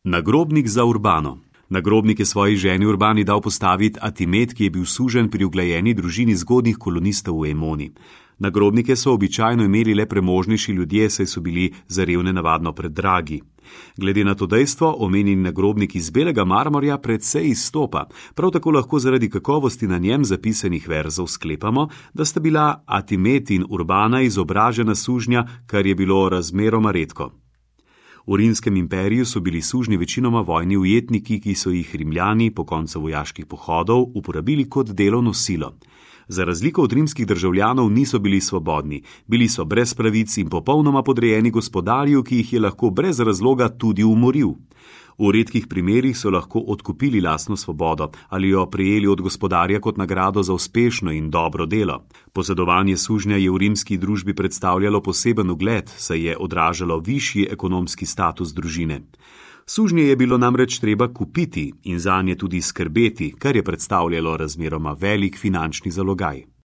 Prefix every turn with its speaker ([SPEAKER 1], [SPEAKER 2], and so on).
[SPEAKER 1] Nagrobnik za Urbano. Nagrobnik je svoji ženi Urbani dal postaviti Atimet, ki je bil suženj pri uglajeni družini zgodnjih kolonistov v Emoni. Nagrobnike so običajno imeli le premožnejši ljudje, saj so bili za revne navadno predragi. Glede na to dejstvo, omenjeni nagrobnik iz belega marmorja precej izstopa. Prav tako lahko zaradi kakovosti na njem zapisanih verzov sklepamo, da sta bila Atimet in Urbana izobražena sužnja, kar je bilo razmeroma redko. V Rimskem imperiju so bili sužnji večinoma vojni ujetniki, ki so jih Rimljani po koncu vojaških pohodov uporabili kot delovno silo. Za razliko od rimskih državljanov niso bili svobodni, bili so brez pravic in popolnoma podrejeni gospodarju, ki jih je lahko brez razloga tudi umoril. V redkih primerih so lahko odkupili lastno svobodo ali jo prejeli od gospodarja kot nagrado za uspešno in dobro delo. Posedovanje sužnja je v rimski družbi predstavljalo poseben ugled, saj je odražalo višji ekonomski status družine. Sužnje je bilo namreč treba kupiti in zanje tudi skrbeti, kar je predstavljalo razmeroma velik finančni zalogaj.